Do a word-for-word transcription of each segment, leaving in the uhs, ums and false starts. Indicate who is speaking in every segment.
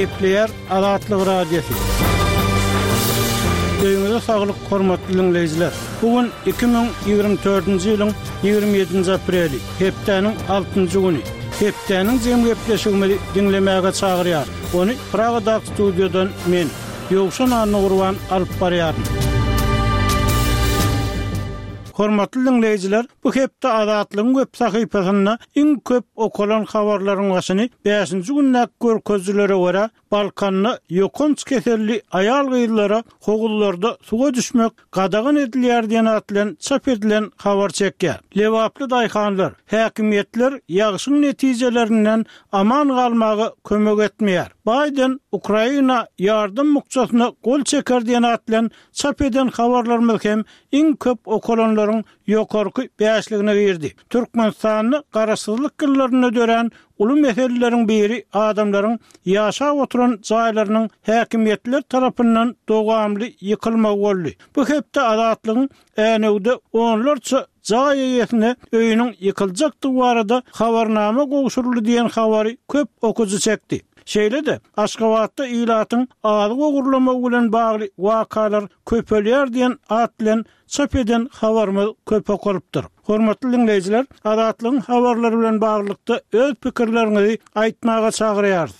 Speaker 1: Gepleýär Azatlyk Radiosy. Öýüňize saglyk, hormatly diňleýjiler! Bu gün iki müň ýigrimi dördünji ýylyň ýigrimi ýedinji apreli, hepdäniň altynjy güni. Hepdäniň jem gepleşigimizi diňlemäge çagyrýar. Ony Pragadaky studiýadan men, Ýowşan Annagurban alyp barýaryn. Hormatly diňleýjiler, bu hepde Azatlygyň web sahypasynda iň köp okalan habarlaryň başyny bäşinji gündäki görkezijilere görä, Balkanda ýokanç keselli aýal-gyzlara howuzlarda suwa düşmek gadagan edilýär diýen at bilen çap edilen habar çekýär. Lebaply daýhanlar, häkimiýetler ýagşyň netijelerinden aman galmaga kömek etmeýär. Baýden Ukraina ýardam bukjasyna gol çeker diýen at bilen çap eden habarlarymyz hem iň köp okalanlaryň ýokarky bäşligine girdi. Türkmenistanda garaşsyzlyk ýyllarynda dörän uly meseleleriň biri adamlaryň ýaşap oturan jaýlarynyň häkimiýetler tarapyndan dowamly ýykylmagy boldy. Bu hepde Azatlygyň Änewde onlarça jaý eýesine öýüniň ýykyljakdygy barada habarnama gowşuryldy diýen habary köp okyjy çekdi. Şeýle-de, Aşgabatda ilatyň azyk ogurlamagy bilen bagly wakalar köpelýär diýen at bilen çap eden habarymyz köp okalypdyr. Hormatly diňleýjiler, Azatlygyň habarlary bilen baglylykda öz pikirleriňizi aýtmaga çagyrýarys.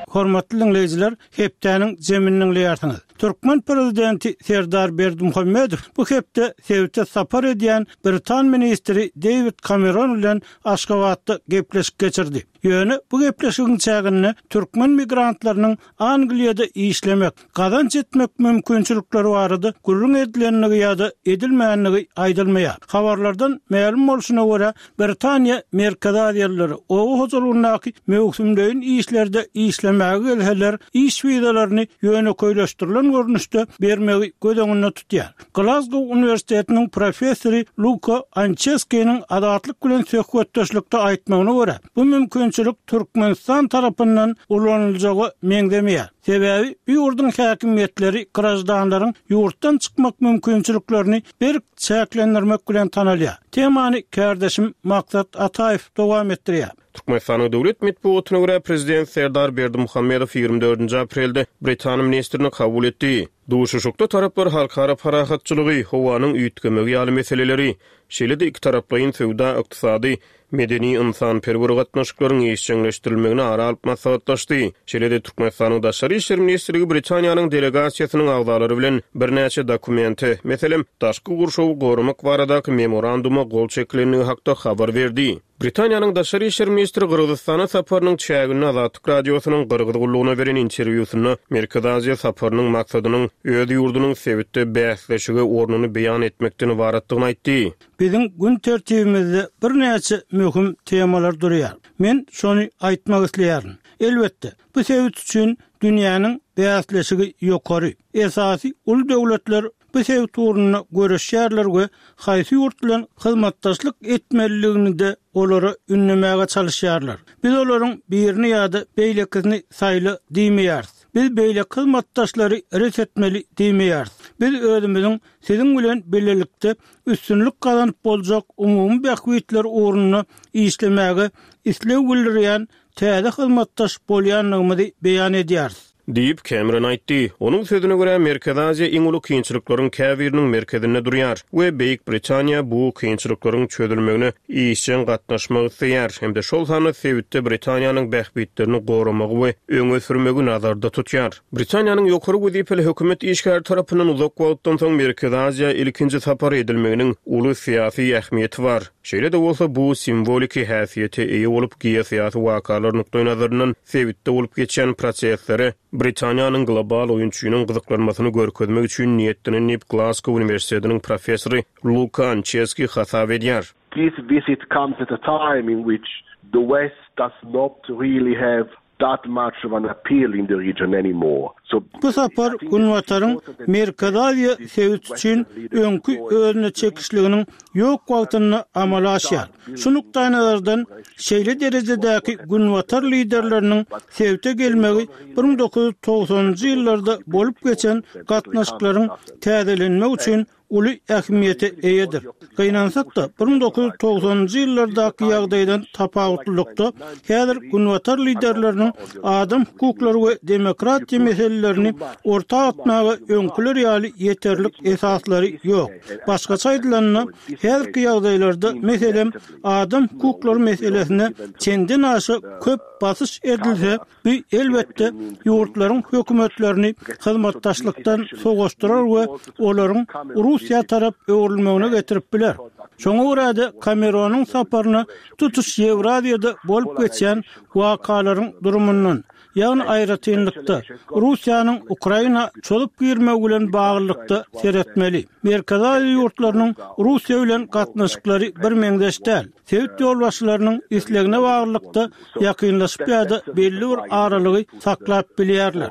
Speaker 1: Hormatly diňleýjiler, hepdäniň jemini diňleýärsiňiz. Türkmen prezidenti Serdar Berdimuhamedow bu hepde sebite sapar edýän britan ministri Deýwid Kameron bilen Aşgabatda gepleşik geçirdi. Ýöne bu gepleşigiň çäginde türkmen migrantlarynyň Angliýada işlemek, gazanç etmek mümkinçilikleri barada gürrüň edilendigi ýa-da edilmändigi aýdylmaýar. Habarlardan mälim bolşuna görä, Britaniýa Merkezi Aziýalylary oba hojalygyndaky möwsümleýin işlerde işlemäge gelseler, iş wizalaryny ýönekeýleşdirilen görnüşde bermegi göz öňünde tutýar. Glazgow uniwersitetiniň professory Luka Ançeskiniň Azatlyk bilen söhbetdeşlikde aýtmagyna görä, bu mümkinçilik Türkmenistan tarapyndan ulanyljaga meňzemeýär. Sebäbi bu ýurduň häkimiýetleri graždanlaryň ýurtdan çykmak mümkinçiliklerini berk çäklendirmek bilen tanalýar. Temany kärdeşim Maksat Ataýew dowam etdirýär.
Speaker 2: Türkmenistanyň döwlet metbugatyna görä, prezident Serdar Berdimuhamedow ýigrimi dördünji aprelde britan ministrini kabul etdi. Duşuşykda taraplar halkara parahatçylygy, howanyň üýtgemegi ýaly meseleleri, şeýle-de ikitaraplaýyn söwda-ykdysady, medeni-ynsanperwer gatnaşyklaryň işjeňleşdirilmegini ara alyp maslahatlaşdy. Şeýle-de Türkmenistanyň Daşary işler ministrligi Britaniýanyň delegasiýasynyň agzalary bilen birnäçe dokumente, meselem, daşky gurşawy goramak baradaky memoranduma gol çekilendigi hakda habar berdi. Britaniýanyň Daşary işler ministri Gyrgyzystana saparynyň çäginde Azatlyk Radiosynyň Gyrgyz gullugyna beren interwýusynda Merkezi Aziýa saparynyň maksadynyň öz ýurdunyň sebitde bäsleşige ornuny beýan etmekden ybaratdygyny aýtdy.
Speaker 1: Biziň gün tertibimizde birnäçe möhüm temalar durýar. Men şony aýtmak isleýärin. Elbetde, bu sebit üçin dünýäniň bäsleşigi ýokary. Esasy uly döwletler bu sebit ugrunda göreşýärler we haýsy ýurt bilen hyzmatdaşlyk etmelidigini-de olara ündemäge çalyşýarlar. Biz olaryň birini ýa-da beýlekisini saýla diýmeýäris. Biz beýleki hyzmatdaşlary ret etmeli diýmeýäris. Biz özümiziň siziň bilen bilelikde üstünlik gazanyp boljak umumy bähbitler ugrunda işlemäge isleg bildirýän täze hyzmatdaş bolýandygymyzy beýan edýäris.
Speaker 2: Diýip, Kemeron aýtdy. Onuň sözüne görä, Merkezi Aziýa iň uly kynçylyklaryň käbiriniň merkezinde durýar we Beýik Britaniýa bu kynçylyklaryň çözülmegine işjeň gatnaşmak isleýär hem-de şol sanda sebitde Britaniýanyň bähbitlerini goramagy we öňe sürmegi nazarda tutýar. Britaniýanyň ýokary wezipeli hökümet işgäri tarapyndan uzak wagtdan soň Merkezi Aziýa ilkinji sapar edilmeginiň uly syýasy ähmiýeti bar. Şeýle-de bolsa, bu simwoliki häsiýete eýe bolup, geosyýasy wakalar nukdaýnazaryndan sebitde bolup geçýän proseslere Britaniýanyň global oýunçynyň gyzyklanmasyny görkezmek üçin niýetlenen diýip, Glasgow uniwersitetiniň professory Luka Ançeski hasap edýär.
Speaker 3: This visit comes at a time in which the West does not really have that much of an appeal in the region anymore. So
Speaker 1: Bu sapar Günbataryň Merkezi Aziýa sebiti üçin öňki özüne çekişliginiň ýok wagtynda amala aşýar. Şu nukdaýnazardan şeýle derejedäki Günbatar liderleriniň sebite gelmegi bir müň dokuz ýüz togsanynjy ýyllarda bolup geçen gatnaşyklaryň täzelenmegi üçin uly ähmiýete eýedir. Gynansak-da, bir müň dokuz ýüz togsanynjy ýyllardaky ýagdaýdan tapawutlylykda häzir Günbatar liderleriniň adam hukuklary we demokratiýa meselelerini orta atmaga öňküler ýaly ýeterlik esaslary ýok. Başgaça aýdylanda, häzirki ýagdaýlarda meselem adam hukuklary meselesine çenden aşa köp basyş edilse, bu elbetde ýurtlaryň hökümetlerini hyzmatdaşlykdan sowaşdyrar we olaryň Russiýa tarap öwrülmegine getirip biler. Şoňa görä-de Kameronyň saparyna tutuş Ýewraziýada bolup geçýän wakalaryň durumundan, ýagny aýratynlykda Russiýanyň Ukraina çozup girmegi bilen baglylykda seretmeli. Merkezi Aziýa ýurtlarynyň Russiýa bilen gatnaşyklary birmeňzeş däl. Sebit ýolbaşçylarynyň islegine baglylykda ýakynlaşyp ýa-da belli bir aralygy saklap bilýärler.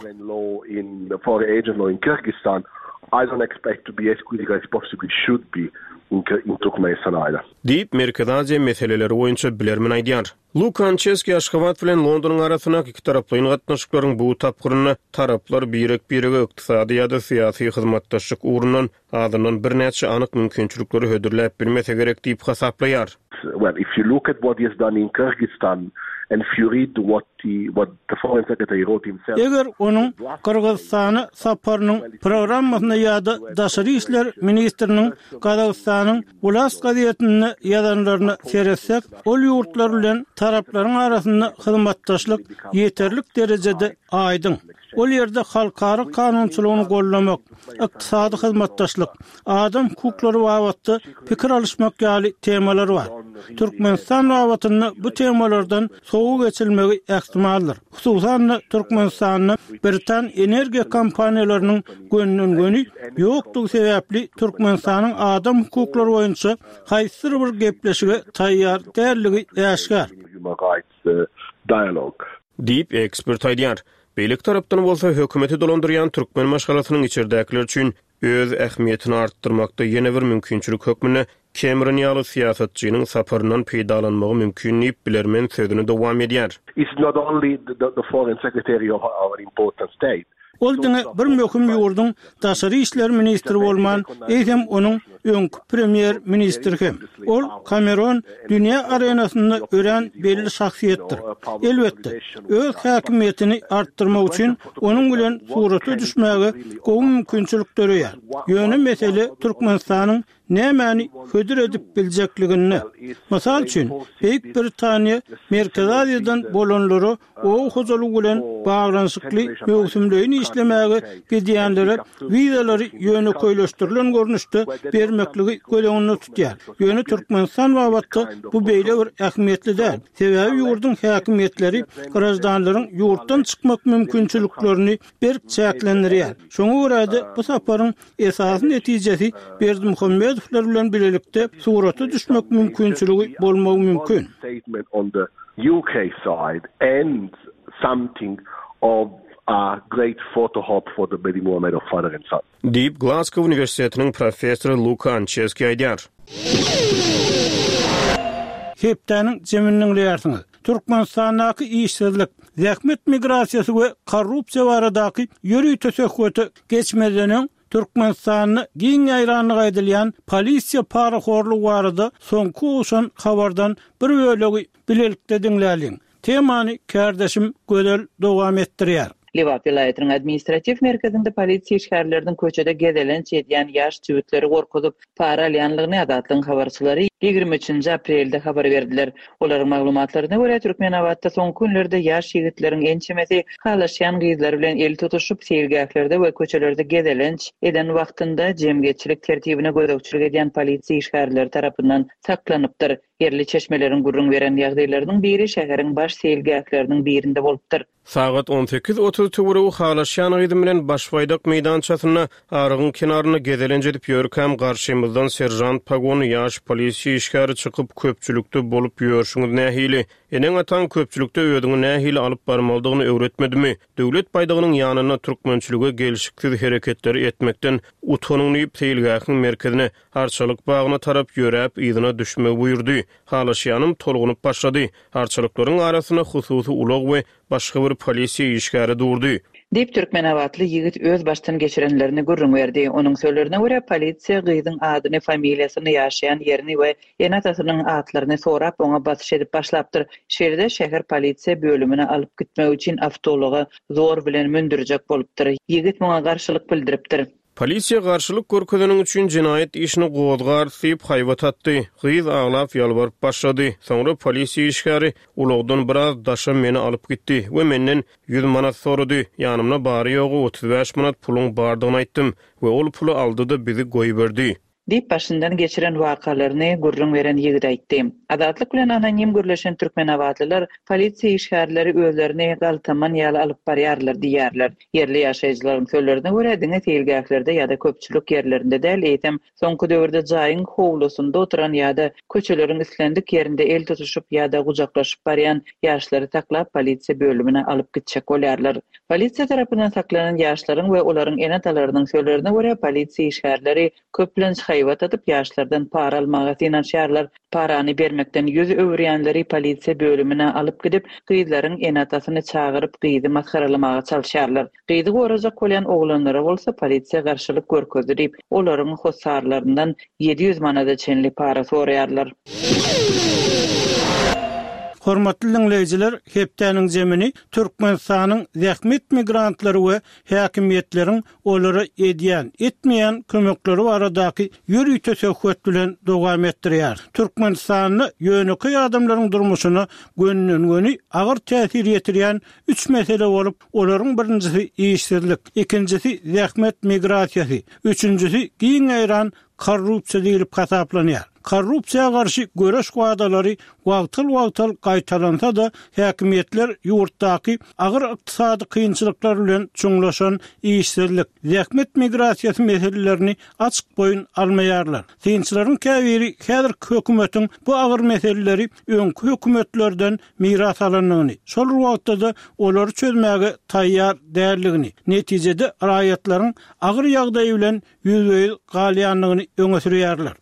Speaker 3: I don't expect to be as critical as possibly should be in, in Turkmenistan either.
Speaker 2: Diýip, Merkezi Aziýa meseleleri boýunça bilermen aýdýar. Luka Ançeski Aşgabat bilen Londonyň arasyndaky ikitaraplaýyn gatnaşyklaryň bu tapgyrynda taraplar birek-birege ykdysady ýa-da syýasy hyzmatdaşlyk ugrundan azyndan birnäçe anyk mümkinçilikleri hödürläp bilmese gerek diýip hasaplaýar.
Speaker 3: Well, if you look at what he has done in Kyrgyzstan and if you read what the, what the foreign secretary wrote himself.
Speaker 1: Eger onuň Gyrgyzystana saparynyň programmasyna ýa-da daşary işler ministriniň Gazagystanyň Wlast gazetinde ýazanlaryna seretsek, ol ýurtlar bilen taraplaryň arasynda hyzmatdaşlyk ýeterlik derejede aýdyň. Ol ýerde halkara kanunçylygyny gollamak, ykdysady hyzmatdaşlyk, adam hukuklary babatda pikir alyşmak ýaly temalar bar. Türkmenistan babatynda bu temalardan sowa geçilmegi ähtimaldyr. Hususan-da Türkmenistanda Britan energiýa kompaniýalarynyň gönden-göni ýokdugy sebäpli Türkmenistanyň adam hukuklary boýunça haýsydyr bir gepleşige taýýar dälligi äşgär.
Speaker 3: Human rights, uh, dialogue.
Speaker 2: Diýip ekspert aýdýar. Beýleki tarapdan bolsa hökümeti dolandyrýan türkmen maşgalasynyň içerdäkiler üçin öz ähmiýetini artdyrmakda ýene bir mümkinçilik hökmünde Cameron ýaly syýasatçynyň saparyndan peýdalanmagy mümkin diýip bilermen sözüni dowam edýär.
Speaker 3: It's not only the, the, the foreign secretary of our important state.
Speaker 1: Ol diňe bir möhüm ýurduň daşary işler ministri bolman, eýsem onuň öňki premýer ministri hem. Ol Cameron dünýä arenasynda örän belli şahsyýetdir. Elbetde, öz häkimiýetini artdyrmak üçin onuň bilen surata düşmäge gowy mümkinçilik döreýär. Ýöne mesele Türkmenistanyň nämäni hödür edip biljekliginde. Mysal üçin, Beýik Britaniýa Merkezi Aziýadan bolanlara oba hojalygy bilen baglanyşykly möwsümleýin işlemäge gidýänlere wizalary ýönekeýleşdirilen görnüşde bermekligi göz öňünde tutýar. Ýöne Türkmenistan babatda bu beýle bir ähmiýetli däl. Sebäbi ýurduň häkimiýetleri graždanlaryň ýurtdan çykmak mümkinçiliklerini berk çäklendirýär. Şoňa görä-de bu saparyň esasy netijesi Berdimuhamedowlar bilen birlikde surata düşmek mümkinçiligi bolmagy mümkin.
Speaker 3: Statement on the U K side and something of a great photo op for the Berdimuhamedov father and son.
Speaker 2: Diýip Glasgow Uniwersitetiniň professory Luka Ançeski aýdýar.
Speaker 1: Hepdäniň jemini diňleýärsiňiz. Türkmenistandaky işsizlik, zähmet migrasiýasy we korrupsiýa baradaky ýörite söhbete geçmezden öň Türkmenistanda giň ýaýranlygy aýdylýan polisiýa parahorlugy barada soňky gowşan habardan bir bölegi bilelikde diňläliň. Temany kärdeşim Gözel dowam etdirýär.
Speaker 4: Lebap welaýatynyň administratiw merkezinde polisiýa işgärleriniň köçede gezelenç edýän ýaş jübütleri gorkuzyp para alýanlygyny Azatlygyň habarçylary ýigrimi üçünji aprelde habar berdiler. Olaryň maglumatlaryna görä Türkmenabatda soňky günlerde ýaş ýigitleriň ençemesi halaşýan gyzlar bilen el tutuşyp seýilgählerde we köçelerde gezelenç eden wagtynda jemgyýetçilik tertibine gözegçilik edýän polisiýa işgärleri tarapyndan saklanypdyr. Ýerli çeşmeleriň gürrüň beren ýagdaýlarynyň biri şäheriň baş seýilgähleriniň birinde bolupdyr.
Speaker 2: Sagat on sekiz otuz töweregi halaşýan gyzym bilen Başbaýdak meýdançasynda arygyň kenarynda gezelenç edip ýörkäm garşymyzdan serjant pagony ýaş polisiýa işgäri çykyp köpçülikde bolup ýörşüňiz nähili? Eneň ataň köpçülikde özüňi nähili alyp barmalydygyny öwretmedimi? Döwlet baýdagynyň ýanynda türkmençilige gelşiksiz hereketleri etmekden utanyň diýip seýilgähiň merkezine Arçalyk bagyna tarap ýöräp yzyna düşmegi buýurdy. Halaşýanym tolgunyp başlady. Arçalyklaryň arasynda hususy ulag we başga bir polisiýa işgäri durdy.
Speaker 4: Diýip, türkmenabatly ýigit öz başdan geçirenlerini gürrüň berdi. Onuň sözlerine görä, polisiýa gyzyň adyny, familiýasyny, ýaşaýan ýerini we ene-atasynyň atlaryny sorap, oňa basyş edip başlapdyr. Şeýle-de, şäher polisiýa bölümine alyp gitmek üçin awtoulaga zor bilen mündürjek bolupdyr. Ýigit muňa garşylyk bildiripdir.
Speaker 2: Polisiýa garşylyk görkezeniň üçin jenaýat işini gozgarys diýip haýbat atdy. Gyz aglap ýalbaryp başlady. Soňra polisiýa işgäri ulagdan biraz daşa meni alyp gitdi we menden ýüz manat sorady. Ýanymda bary-ýogy otuz bäş manat puluň bardygyny aýtdym we ol puly aldy-da bizi goýberdi.
Speaker 4: Diýip, başyndan geçiren wakalaryny gürrüň beren ýigit aýtdy. Azatlyk bilen anonim gürleşen türkmenabatlylar polisiýa işgärleri özlerini galtaman ýaly alyp barýarlar diýýärler. Ýerli ýaşaýjylaryň sözlerine görä, diňe seýilgählerde ýa-da köpçülik ýerlerinde däl, eýsem, soňky döwürde jaýyň howlusynda oturan ýa-da köçeleriň islendik ýerinde el tutuşyp ýa-da gujaklaşyp barýan ýaşlary saklap, polisiýa bölümine alyp gitjek bolýarlar. Polisiýa tarapyndan saklanan ýaşlaryň we olaryň ene-atalarynyň sözlerine görä, polisiýa işgärleri köplenç haýbat atyp, ýaşlardan para almaga synanyşýarlar. Parany bermekden ýüz öwürýänleri polisiýa bölümine alyp gidip, gyzlaryň ene-atasyny çagyryp, gyzy masgaralamaga çalyşýarlar. Gyzy gorajak bolýan oglanlara bolsa polisiýa garşylyk görkezdi diýip, olaryň hossarlaryndan ýedi ýüz manada çenli para soraýarlar.
Speaker 1: Hormatly diňleýjiler, hepdäniň zemini Türkmenistanyň zähmet migrantlary we häkimiýetleriň olara edýän, etmeýän kömekleri baradaky ýörite söhbet bilen dowam etdirýär. Türkmenistanda ýönekeý adamlaryň durmuşyna gönden-göni agyr täsir ýetirýän üç mesele bolup, olaryň birinjisi işsizlik, ikinjisi zähmet migrasiýasy, üçünjisi giň ýaýran korrupsiýa diýlip hasaplanýar. Korrupsiýa garşy göreş wadalary wagtal-wagtal gaýtalansa-da, häkimiýetler ýurtdaky agyr ykdysady kynçylyklar bilen çuňlaşan işsizlik, zähmet migrasiýasy meselelerini açyk boýun almaýarlar. Synçylaryň käbiri häzirki hökümetiň bu agyr meseleleri öňki hökümetlerden miras alandygyny, şol bir wagtda-da olary çözmäge taýýar däldigini, netijede raýatlaryň agyr ýagdaýy bilen ýüzbe-ýüz galýandygyny öňe sürýärler.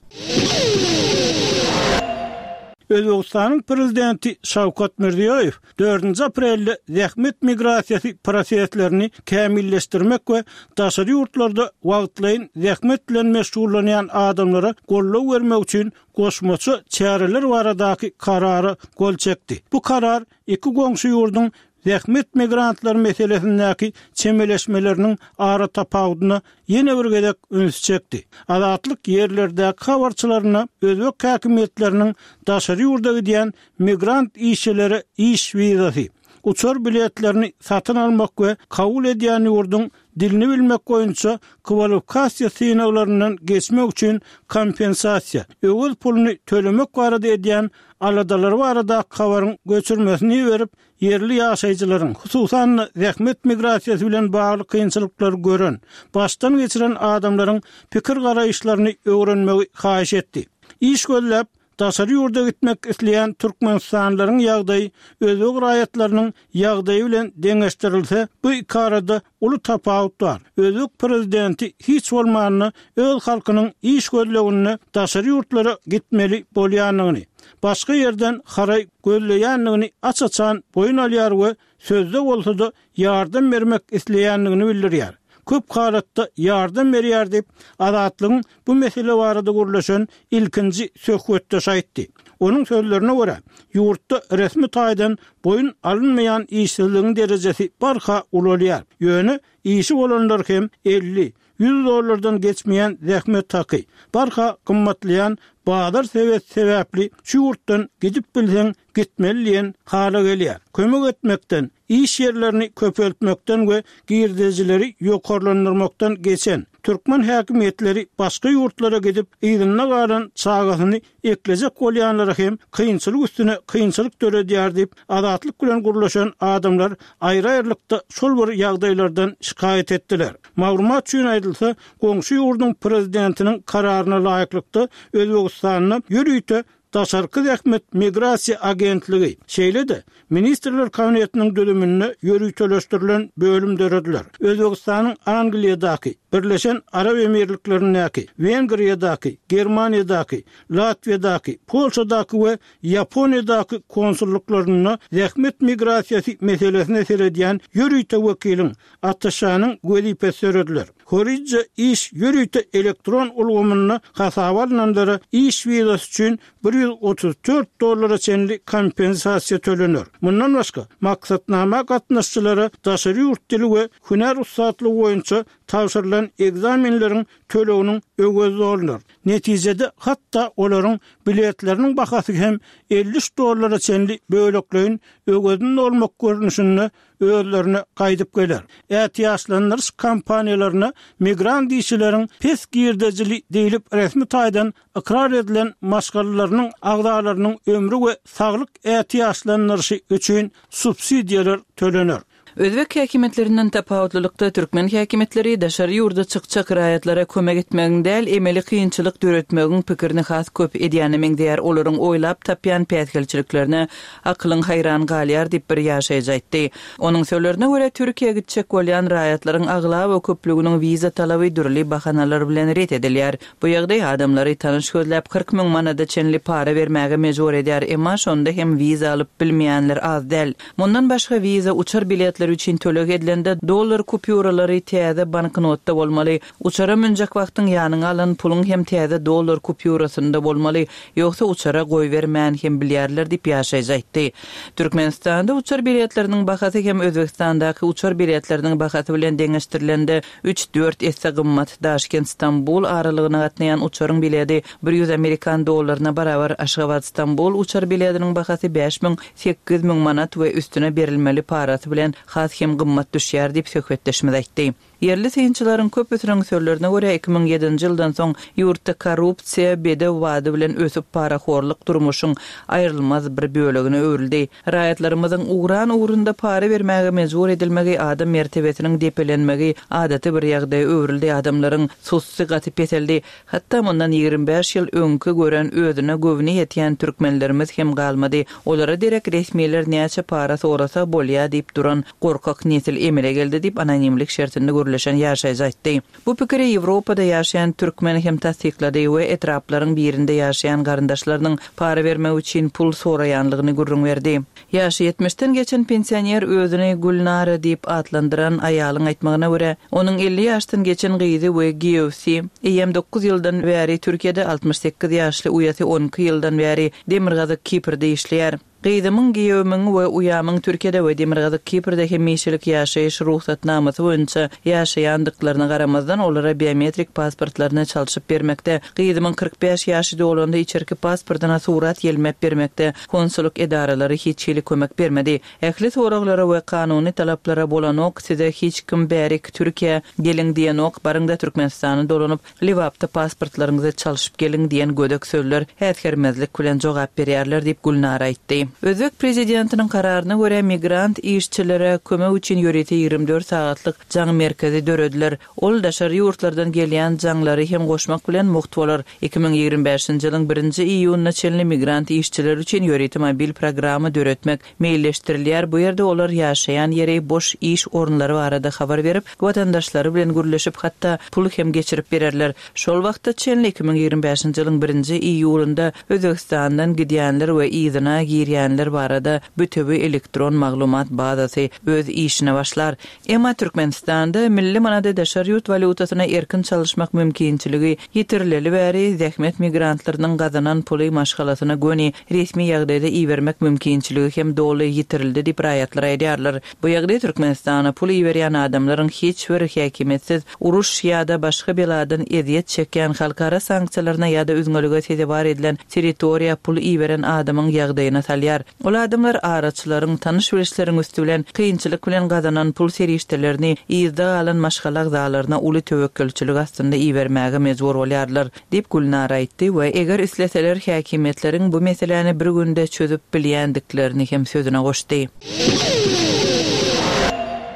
Speaker 1: Özbegistanyň prezidenti Şawkat Mirziýoýew dördünji aprelde zähmet migrasiýasy proseslerini kämilleşdirmek we daşary ýurtlarda wagtlaýyn zähmet bilen meşgullanýan adamlara goldaw bermek üçin goşmaça çäreler baradaky karara gol çekdi. Bu karar iki goňşy ýurduň zähmet migrantlary meselesindäki çemeleşmeleriniň ara tapawudyna ýene bir gezek üns çekdi. Azatlyk ýerlerdäki habarçylaryna özbek häkimiýetleriniň daşary ýurda gidýän migrant işçilere iş wizasy, uçar biletlerini satyn almak we kabul edýän ýurduň dilini bilmek boýunça kwalifikasiýa synaglaryndan geçmek üçin kompensasiýa, öwez puluny tölemek barada edýän aladalary baradaky habaryň göçürmesini berip, ýerli ýaşaýjylaryň, hususan-da zähmet migrasiýasy bilen bagly kynçylyklary gören, başdan geçiren adamlaryň pikir-garaýyşlaryny öwrenmegi haýyş etdi. Iş gözläp, daşary ýurda gitmek isleýän türkmenistanlylaryň ýagdaýy özbek raýatlarynyň ýagdaýy bilen deňeşdirilse, bu iki arada uly tapawut bar. Özbek prezidenti hiç bolmanda öz halkynyň iş gözleginde daşary ýurtlara gitmeli bolýandygyny, başga ýerden haraý gözleýändigini aç-açan boýun alýar we sözde bolsa-da ýardam bermek isleýändigini bildirýär. Köp halatda ýardam berýär diýip, Azatlygyň bu mesele barada gürleşen ilkinji söhbetdeşi aýtdy. Onuň sözlerine görä, ýurtda resmi taýdan boýun alynmaýan işsizligiň derejesi barha ulalýar. Ýöne işi bolanlar hem elli, ýüz dollardan geçmeýän zähmet haky, barha gymmatlaýan bazar sebeti sebäpli şu ýurtdan gidip bilseň gitmeli diýen hala gelýär. Kömek etmekden, iş ýerlerini köpeltmekden we girdejileri ýokarlandyrmakdan geçen türkmen häkimiýetleri başga ýurtlara gidip, yzynda galan çagasyny eklejek bolýanlara hem kynçylyk üstüne kynçylyk döredýär diýip, Azatlyk bilen gürleşen adamlar aýry-aýrylykda şol bir ýagdaýlardan şikaýat etdiler. Maglumat üçin aýdylsa, goňşy ýurduň prezidentiniň kararyna laýyklykda, Özbegistanda ýörite Daşarky zähmet migrasiýa agentligi, şeýle-de Ministrler Kabinetiniň düzüminde ýöriteleşdirilen bölüm dörediler. Özbegistanyň Angliýadaky, Birleşen Arap Emirliklerindäki, Wengriýadaky, Germaniýadaky, Latwiýadaky, Polşadaky we Ýaponiýadaky konsulluklarynda zähmet migrasiýasy meselesine seredýän ýörite wekiliň, attaşanyň wezipesi dörediler. Horija iş ýörite elektron ulgamynda hasaba alnanlara iş wizasy üçin bir ýüz otuz dört dollara çenli kompensasiýa tölener. Mundan başga, maksatnama gatnaşyjylara daşary ýurt dili we hünär ussatlygy boýunça tabşyrylan ekzamenleriň töleginiň öwezi dolunar. Netijede, hatda olaryň biletleriniň bahasy hem elli üç dollara çenli bölekleýin öwezini dolmak görnüşinde özlerine gaýdyp geler. Ätiýaçlandyryş kompaniýalaryna migrant işçileriň pes girdejili diýlip resmi taýdan ykrar edilen maşgalalarynyň agzalarynyň ömri we saglyk ätiýaçlandyryşy üçin subsidiýalar tölener.
Speaker 4: Özbek häkimiýetlerinden tapawutlylykda, türkmen häkimiýetleri daşary ýurda çykjak raýatlara kömek etmegiň däl, emeli kynçylyk döretmegiň pikirini has köp edýäne meňzeýär, olaryň oýlap tapýan päsgelçiliklerine akylyň haýran galýar diýip, bir ýaşaýjy aýtdy. Onuň sözlerine görä, Türkiýä gitjek bolýan raýatlaryň aglaba köplüginiň wiza talaby dürli bahanalar bilen ret edilýär. Bu ýagdaý adamlary tanyş gözläp, kyrk müň manada çenli para bermäge mejbur edýär, emma şonda hem wiza alyp bilmeýänler az däl. Mundan başga, wiza uçar biletleri üçin töleg edilende dollar kupýuralary täze banknotda bolmaly. Uçara münjek wagtyň ýanyňa alan puluň hem täze dollar kupýurasynda bolmaly, ýogsa uçara goýbermän hem bilýärler diýip, ýaşaýjy aýtdy. Türkmenistanda uçar biletleriniň bahasy hem Özbegistandaky uçar biletleriniň bahasy bilen deňeşdirilende üç-dört esse gymmat. Daşkent-Stambul aralygyna gatnaýan uçaryň biledi bir ýüz amerikan dollaryna barabar. Aşgabat-Stambul uçar bilediniň bahasy bäş müň, sekiz müň manat we üstüne berilmeli parasy bilen has hem gymmat düşýär diýip, söhbetdeşimiz aýtdy. Ýerli synçylaryň köpüsiniň sözlerine görä, iki müň ýedinji ýyldan soň ýurtda korrupsiýa bedew bady bilen ösüp, parahorluk durmuşyň aýrylmaz bir bölegine öwrüldi. Raýatlarymyzyň ugran ugrunda para bermäge mejbur edilmegi, adam mertebesiniň depelenmegi adaty bir ýagdaýa öwrüldi, adamlaryň sussy gaty peseldi. Hatda mundan ýigrimi bäş ýyl öňki gören özüne göwni ýetýän türkmenlerimiz hem galmady. Olara derek resmiler näçe para sorasa bolýa diýip duran gorkak nesil emele geldi diýip, anonimlik şertinde gürleşen ýaşaýjy aýtdy. Bu pikiri Ýewropada ýaşaýan türkmen hem tassyklady we etraplaryň birinde ýaşaýan garyndaşlarynyň para bermek üçin pul soraýanlygyny gürrüň berdi. Ýaşy ýetmişden geçen pensioner özüni Gülnara diýip atlandyran aýalyň aýtmagyna görä, onuň elli ýaşdan geçen gyzy we giýewsi eýýäm dokuz ýyldan bäri Türkiýede, altmyş sekiz ýaşly uýasy on iki ýyldan bäri Demirgazyk Kiprde işleýär. Gyzymyň, giýewimiň we uýamyň Türkiýede we Demirgazyk Kiprde hemişelik ýaşaýyş rugsatnamasy boýunça ýaşaýandyklaryna garamazdan, olara biometrik pasportlaryny çalşyp bermekde, gyzymyň kyrk bäş ýaşy dolanda içerki pasportyna surat ýelmep bermekde konsullyk edaralary hiç hili kömek bermedi. Ähli soraglara we kanuny talaplara bolanok, size hiç kim bärik, Türkiýä, geliň diýenok, baryň-da Türkmenistana dolanyp, Lebapda pasportlaryňyzy çalşyp geliň diýen gödek sözler äsgermezlik bilen jogap berýärler diýip, Gülnara aýtdy. Özbek prezidentiniň kararyna görä, migrant işçilere kömek üçin ýörite ýigrimi dört sagatlyk jaň merkezi dörediler. Ol daşary ýurtlardan gelýän jaňlary hem goşmak bilen mugt bolar. Iki müň ýigrimi bäşinji ýylyň birinji iýunyna çenli migrant işçiler üçin ýörite mobil programma döretmek meýilleşdirilýär, bu ýerde olar ýaşaýan ýeri, boş iş orunlary barada habar berip, watandaşlary bilen gürleşip, hatda pul hem geçirip bererler. Şol wagta çenli, iki müň ýigrimi bäşinji ýylyň birinji iýulynda Özbegistandan gidýänler we yzyna girýänler barada bütewi elektron maglumat bazasy öz işine başlar. Emma Türkmenistanda milli manady daşary ýurt walýutasyna erkin çalyşmak mümkinçiligi ýitirileli bäri, zähmet migrantlarynyň gazanan puly maşgalasyna göni resmi ýagdaýda ibermek mümkinçiligi hem doly ýitirildi diýip raýatlar aýdýarlar. Bu ýagdaý Türkmenistana pul iberýän adamlaryň hiç bir häkimiýetsiz, uruş ýa-da başga beladan ezýet çekýän, halkara sanksiýalaryna ýa-da üzňelige sezewar edilen territoriýa pul iberen adamyň ýagdaýyna salýar. Ol adamlar araçylaryň, tanyş-bilişleriň üsti bilen kynçylyk bilen gazanan pul serişdelerini yzda galan maşgala agzalaryna uly töwekgelçilik astynda ibermäge mejbur bolýarlar, diýip, Gülnara aýtdy we eger isleseler häkimiýetleriň bu meseläni bir günde çözüp bilýändiklerini hem sözüne goşdy.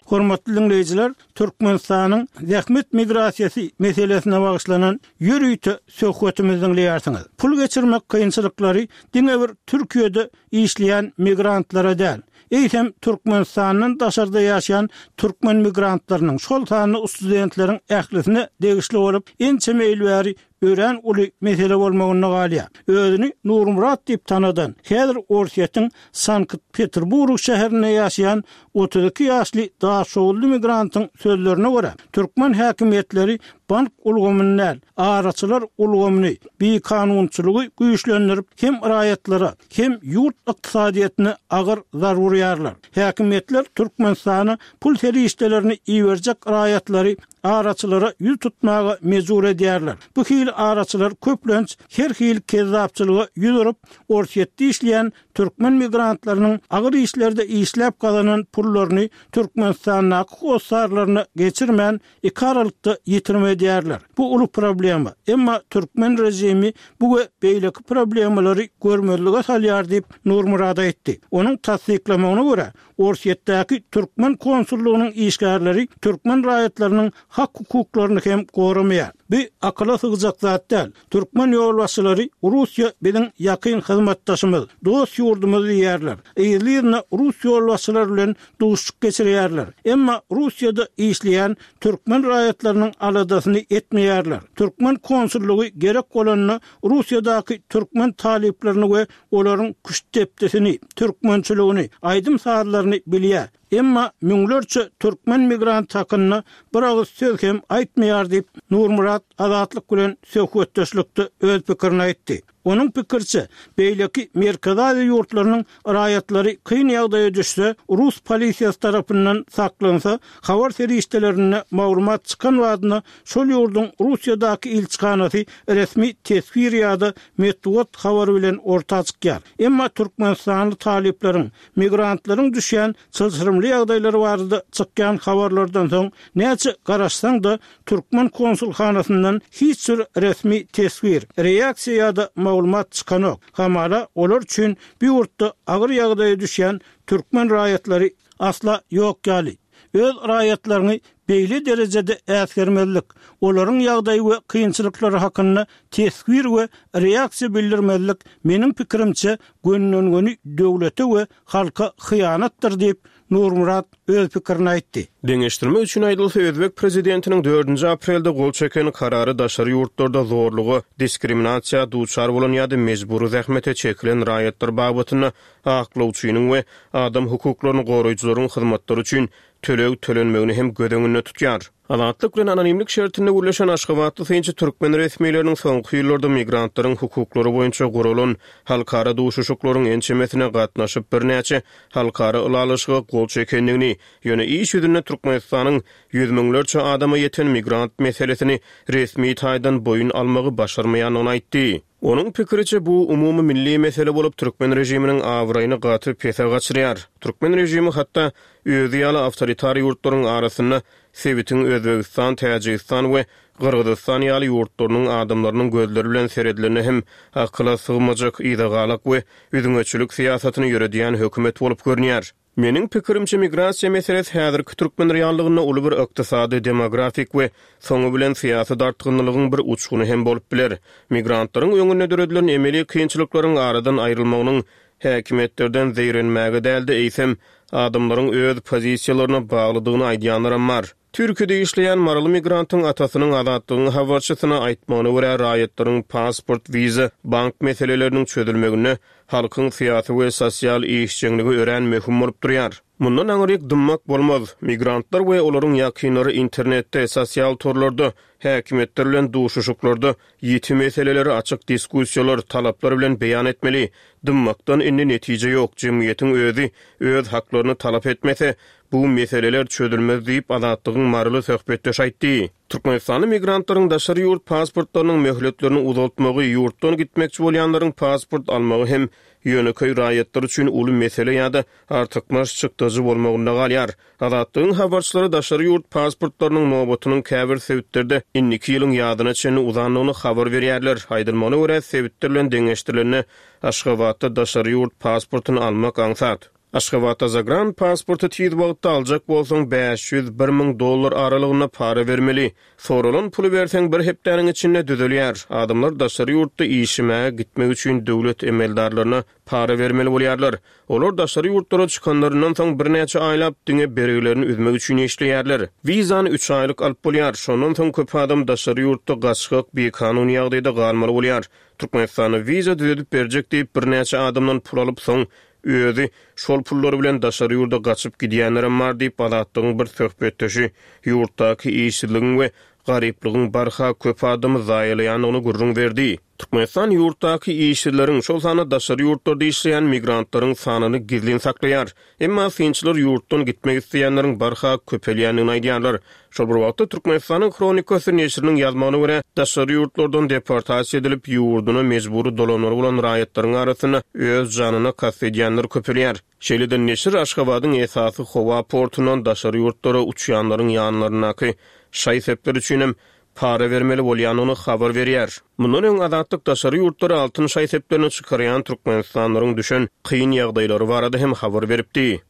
Speaker 1: Hormatly diňleýjiler, Türkmenistanyň zähmet migrasiýasy meselesine bagyşlanan ýörite söhbetimizi diňleýärsiňiz. Pul geçirmek kynçylyklary diňe bir Türkiýede işleýän migrantlara däl, eýsem Türkmenistandan daşarda ýaşaýan türkmen migrantlarynyň, şol sanda studentleriň ählisine degişli bolup, ençeme ýyl bäri örän uly mesele bolmagynda galýar. Özüni Nurmyrat diýip tanadan, häzir Orsýetiň Sankt-Peterburg şäherinde ýaşaýan otuz iki ýaşly daşoguzly migrantyň sözlerine görä, türkmen häkimiýetleri bank ulgamyny däl, araçylar ulgamyny, bikanunçylygy güýçlendirip, hem raýatlara, hem ýurt ykdysadyýetine agyr zarba urýarlar. Häkimiýetler Türkmenistana pul serişdelerini iberjek raýatlary araçylara ýüz tutmaga mejbur edýärler. Bu hili araçylar köplenç her hili kezzapçylyga ýüz urup, Orsýetde işleýän türkmen migrantlarynyň agyr işlerde işläp gazanan pullaryny Türkmenistandaky hossarlaryna geçirmän, iki aralykda ýitirim edýärler. Bu uly problema. Emma türkmen režimi bu we beýleki problemalary görmezlige salýar diýip, Nurmyrat aýtdy. Onuň tassyklamagyna görä, Orsýetdäki türkmen konsullygynyň işgärleri türkmen raýatlarynyň hak-hukuklaryny hem goramaýar. Bu akyla sygjak zat däl. Türkmen ýolbaşçylary Russiýa biziň ýakyn hyzmatdaşymyz, dost ýurdumyz diýýärler. Yzly-yzyna rus ýolbaşçylary bilen duşuşyk geçirýärler. Emma Russiýada işleýän türkmen raýatlarynyň aladasyny etmeýärler. Türkmen konsullygy gerek bolanda Russiýadaky türkmen talyplaryny we olaryň küştdepdisini, türkmençiligini, aýdym-sazlaryny bilýär. Emma müňlerçe türkmen migrant hakynda bir agyz söz hem aýtmaýar diýip, Nurmyrat Azatlyk bilen söhbetdeşlikde öz pikirini aýtdy. Onuň pikiriçe, beýleki Merkezi Aziýa ýurtlarynyň raýatlary kyn ýagdaýa düşse, rus polisiýasy tarapyndan saklansa, habar serişdelerinde maglumat çykan badyna şol ýurduň Russiýadaky ilçihanasy resmi teswir ýa-da metbugat habary bilen orta çykýar. Emma türkmenistanly talyplaryň, migrantlaryň düşýän çylşyrymly ýagdaýlary barada çykýan habarlardan soň näçe garaşsaň-da, türkmen konsulhanasyndan hiç bir resmi teswir, reaksiýa ýa-da maglumat çykanok. Hamala, olar üçin bu ýurtda agyr ýagdaýa düşýän türkmen raýatlary asla ýok ýaly. Öz raýatlaryňy beýle derejede äsgermezlik, olaryň ýagdaýy we kynçylyklary hakynda teswir we reaksiýa bildirmezlik, meniň pikirimçe, gönden-göni döwlete we halka hyýanatdyr diýip, Nurmyrat öz pikirini aýtdy.
Speaker 2: Deňeşdirmek üçin aýdylsa, özbek prezidentiniň dördünji aprelde gol çeken karary daşary ýurtlarda zorluga, diskriminasiýa duçar bolan ýa-da mejbury zähmete çekilen raýatlar babatynda aklawçynyň we adam hukuklaryny goraýjylaryň hyzmatlary üçin töleg tölenmegini hem göz öňünde tutýar. Azatlyk bilen anonimlik şertinde gürleşen aşgabatly synçy türkmen resmileriniň soňky ýyllarda migrantlaryň hukuklary boýunça guralan halkara duşuşyklaryň ençemesine gatnaşyp birnäçe halkara ylalaşyga gol çekendigini, ýöne iş ýüzünde Türkmenistanyň ýüz müňlerçe adama ýeten migrant meselesini resmi taýdan boýun almagy başarmaýandygyny aýtdy. Onuň pikiriçe, bu umumy milli mesele bolup, türkmen režiminiň abraýyny gaty pese gaçyrýar. Türkmen režimi hatda özi ýaly awtoritar ýurtlaryň arasynda sebitiň Özbegistan, Täjigistan we Gyrgyzystan ýaly ýurtlarynyň adamlarynyň gözleri bilen seredilende hem akyla sygmajak yzagalak we üzňeçilik syýasatyny ýöredýän hökümet bolup görünýär. Meniň pikirimçe, migrasiýa meselesi häzirki türkmen reallygynda uly bir ykdysady, demografik we soňy bilen syýasy dartgynlylygyň bir uçguny hem bolup biler. Migrantlaryň öňünde döredilen emeli kynçylyklaryň aradan aýrylmagynyň häkimiýetlerden zeýrenmäge däl-de, eýsem, adamlaryň öz pozisiýalaryna baglydygyny aýdýanlaram bar. Türkiýede işleýän maryly migrantyň atasynyň Azatlygyň habarçysyna aýtmagyna görä, raýatlaryň pasport, wiza, bank meseleleriniň çözülmeginde halkyň syýasy we sosial işjeňligi örän möhüm bolup durýar. Mundan aňryk dymmak bolmaz. Migrantlar we olaryň ýakynlary internetde, sosial torlarda, häkimiýetler bilen duşuşyklarda ýiti meseleleri açyk diskussiýalar, talaplar bilen beýan etmeli. Dymmakdan indi netije ýok, jemgyýetiň özi öz haklaryny talap etmese, bu meseleler çözülmez diýip, Azatlygyň maryly söhbetdeşi aýtdy. Türkmenistanly migrantlaryň daşary ýurt pasportlarynyň möhletlerini uzaltmagy, ýurtdan gitmekçi bolýanlaryň pasport almagy hem ýönekeý raýatlar üçin uly mesele ýa-da artykmaç çykdajy bolmagynda galýar. Azatlygyň habarçylary daşary ýurt pasportlarynyň nobatynyň käbir sebitlerde indiki ýylyň ýazyna çenli uzandygyny habar berýärler. Aýdylmagyna görä, sebitler bilen deňeşdirilende Aşgabatda daşary ýurt pasportyny almak aňsat. Aşgabatda zagran pasporty tiz wagtda aljak bolsaň bäş ýüz, bir müň dollar aralygynda para bermeli. Soralan puly berseň bir hepdäniň içinde düzelýär. Adamlar daşary ýurtda işlemäge gitmek üçin döwlet emeldarlaryna para bermeli bolýarlar. Olar daşary ýurtlara çykanlaryndan soň birnäçe aýlap diňe bergilerini üzmek üçin işleýärler. Wizany üç aýlyk alyp bolýar. Şondan soň köp adam daşary ýurtda gaçgak, bikanun ýagdaýda galmaly bolýar. Türkmenistanda wiza düzedip berjek diýip birnäçe adamdan pul alyp soň özi şol pullary bilen daşary ýurda gaçyp gidýänlerem bar diýip Azatlygyň bir söhbetdeşi ýurtdaky işsizligiň we garyplygyň barha köp adamy zaýalaýandygyny gürrüň berdi. Türkmenistan ýurtdaky işsizleriň, şol sanda daşary ýurtlarda işleýän migrantlaryň sanyny gizlin saklaýar. Emma synçylar ýurtdan gitmek isleýänleriň barha köpelýändigini aýdýarlar. Şol bir wagtda Türkmenistanyň Hronikasy neşiriniň ýazmagyna görä, daşary ýurtlardan deportasiýa edilip ýurduna mejbury dolanmaly bolan raýatlaryň arasynda öz janyna kast edýänler köpelýär. Şeýle-de neşir Aşgabadyň esasy howa portundan daşary ýurtlara uçýanlaryň ýanlaryndaky şaý-sepler üçinem para bermeli bolýandygyny habar berýär. Mundan öň Azatlyk daşary ýurtlara altyn şaý-seplerini çykarýan türkmenistanlylaryň düşen kyn ýagdaýlary barada hem habar beripdi.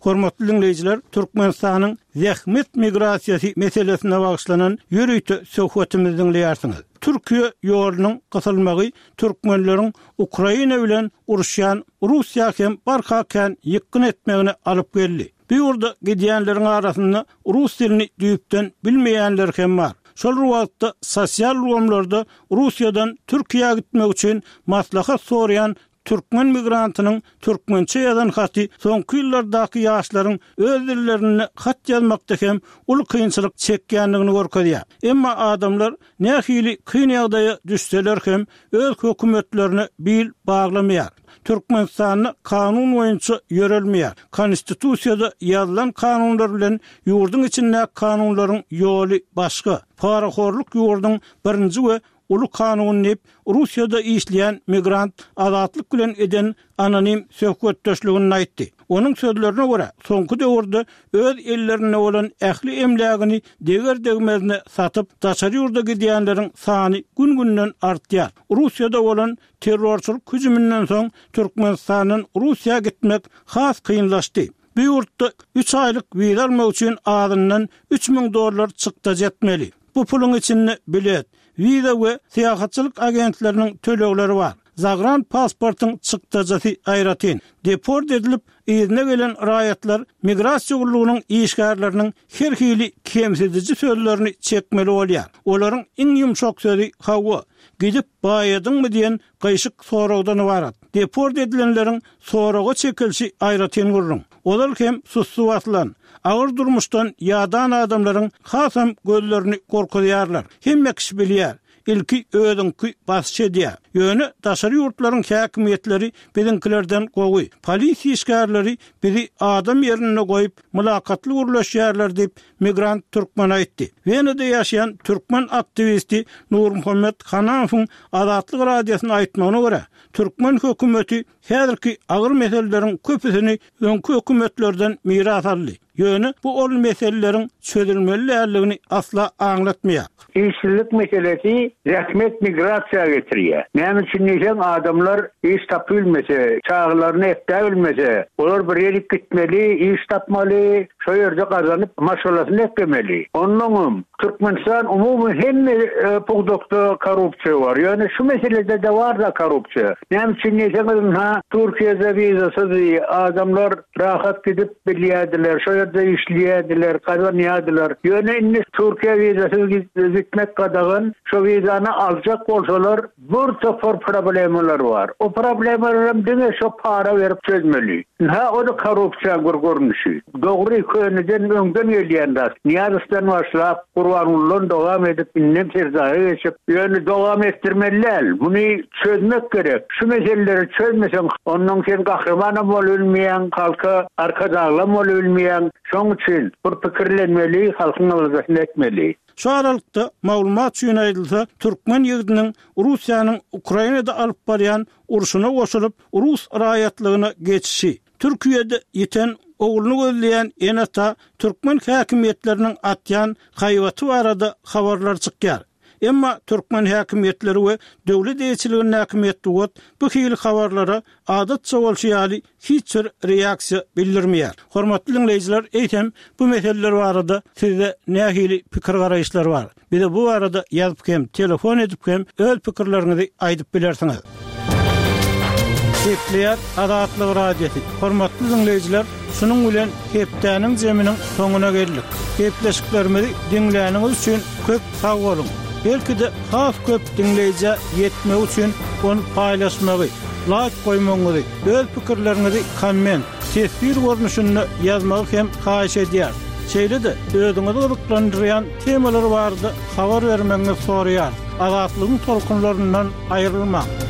Speaker 1: Hormatly dinleýjiler, Türkmenistanyň zähmet migrasiýasy meselesine bagyşlanan ýörite söhbetimizi dinleýärsiňiz. Türkiýe ýolunyň gysylmagy türkmenleriň Ukraina bilen uruşýan Russiýa hem barha kän ýykgyn etmegine alyp geldi. Bu ýurda gidýänleriň arasynda rus dilini düýpden bilmeýänler hem bar. Şol wagtda sosial ulgamlarda Russiýadan Türkiýä gitmek üçin maslahat soraýan türkmen migrantynyň türkmençe ýazan haty soňky ýyllardaky ýaşlaryň öz dillerinde hat ýazmakda hem uly kynçylyk çekýändigini görkezýär. Emma adamlar nähili kyn ýagdaýa düşseler hem öz hökümetlerine bil baglamaýar. Türkmenistanda kanun boýunça ýörelmeýär. Konstitusiýada ýazylan kanunlar bilen ýurduň içindäki kanunlaryň ýoly başga. Parahorluk ýurduň birinji we uly kanuny diýip, Russiýada işleýän migrant Azatlyk bilen eden anonim söhbetdeşliginde aýtdy. Onuň sözlerine görä, soňky döwürde öz ellerinde bolan ähli emlägini deger-degmezine satyp, daşary ýurda gidýänleriň sany gün-günden artýar. Russiýada bolan terrorçylyk hüjüminden soň Türkmenistandan Russiýa gitmek has kynlaşdy. Bu ýurtda üç aýlyk wiza almak üçin azyndan üç müň dollar çykdajy etmeli. Bu puluň içinde bilet, wiza we syýahatçylyk agentleriniň tölegleri bar. Zagran pasportyň çykdajysy aýratyn. Deport edilip, yzyna gelen raýatlar migrasiýa gullugynyň işgärleriniň her hili kemsidiji sözlerini çekmeli bolýar. Olaryň iň ýumşak sözi hawa, gidip baýadyňmy diýen gyşyk soragdan ybarat. Deport edilenleriň soraga çekilişi aýratyn gürrüň. Olar hem sussu basylan, agyr durmuşdan ýadan adamlaryň hasam gözlerini gorkuzýarlar. Hemme kişi bilýär, ilki özüňki basyş edýär. Ýöne daşary ýurtlaryň häkimiýetleri biziňkilerden gowy. Polisiýa işgärleri bizi adam ýerinde goýup, mylakatly gürleşýärler diýip, migrant türkmen aýtdy. Wenada ýaşaýan türkmen aktiwisti Nurmuhammet Hanamowyň Azatlyk radiosyna aýtmagyna görä, türkmen hökümeti häzirki agyr meseleleriň köpüsini öňki hökümetlerden miras aldy. Ýöne bu ol meseleleriň çözülmeli däldigini asla aňlatmaýar.
Speaker 5: Işsizlik meselesi zähmet migrasiýa getirýär. Näme üçin diýseň, adamlar iş tapylmasa, çagalaryny ekläbilmese, olar bir ýere gitmeli, iş tapmaly, şo ýerde gazanyp maşgalasyny eklemeli. Onnoňam Türkmenistan umumy hemme e, pudakda korrupsiýa bar. Ýöne şu meselede de bar da korrupsiýa. Näme üçin diýseňiz, ha Türkiýede wizasyz adamlar rahat gidip bilýärdiler, şo ýerde işleýärdiler, gazanýardylar. Ýöne indi Türkiýe wizasyz gitmek gadagan, şo wizany aljak bolsalar bir topar problemalar bar. O problemalar diňe şo para berip çözmeli. Ha o da korrupsiýa bir görnüşi. Dogry köneden öňden gelýän zat. Niýazowdan başlap Gurbangulydan dowam edip indem Serdara geçip, ýöne dowam etdirmeli däl. Muny çözmek gerek. Şu meseleleri çözmeseň, ondan sen gahrymanam bolup bilmeýäň, halka arkadaglam bolup bilmeýäň. Şoň üçin bir pikirlenmeli, halkyň aladasyny etmeli.
Speaker 1: Şu aralykda maglumat üçin aýdylsa, türkmen ýigidiniň Russiýanyň Ukrainada alyp barýan urşuna goşulyp, rus raýatlygyna geçişi, Türkiýede ýiten ogluny gözleýän ene-ata türkmen häkimiýetleriniň atýan haýbaty barada habarlar çykýar. Emma türkmen häkimiýetleri we döwlet eýeçiligindäki metbugat bu hili habarlara adatça bolşy ýaly hiç bir reaksiýa bildirmeýär. Hormatly diňleýjiler, eýsem bu meseleler barada sizde nähili pikir-garaýyşlar bar? Bize bu barada ýazyp hem, telefon edip hem öz pikirleriňizi aýdyp bilersiňiz. Gepleýär Azatlyk Radiosy. Hormatly diňleýjiler, şunuň bilen hepdäniň zeminiň soňuna geldik. Gepleşiklerimizi diňläniňiz üçin köp sag boluň. Belki-de has köp diňleýjä ýetmegi üçin ony paýlaşmagy, laýk goýmagyňyzy, öz pikirleriňizi komment, teswir görnüşinde ýazmagy hem haýyş edýäris. Şeýle-de özüňizi gyzyklandyrýan temalar barada habar bermegiňizi soraýarys. Azatlygyň tolkunlaryndan aýrylmaň.